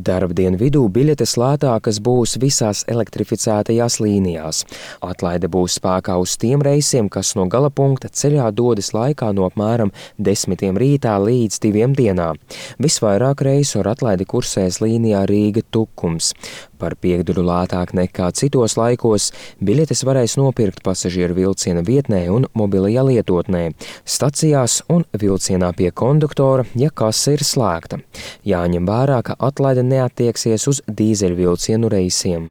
Darbdienu vidū biļetes lētākas būs visās elektrificētajās līnijās. Atlaide būs spēkā uz tiem reisiem, kas no gala punkta ceļā dodas laikā no apmēram 10 rītā līdz 2 dienā. Visvairāk reisu ar atlaidi kursēs līnijā Rīga-Tukums. Par piekdaļu lētāk nekā citos laikos biļetes varēs nopirkt pasažieru vilciena vietnē un mobilajā lietotnē, stacijās un vilcienā pie konduktora, ja kase ir slēgta. Jāņem vērā, ka atlaide neattieksies uz dīzeļvilcienu reisiem.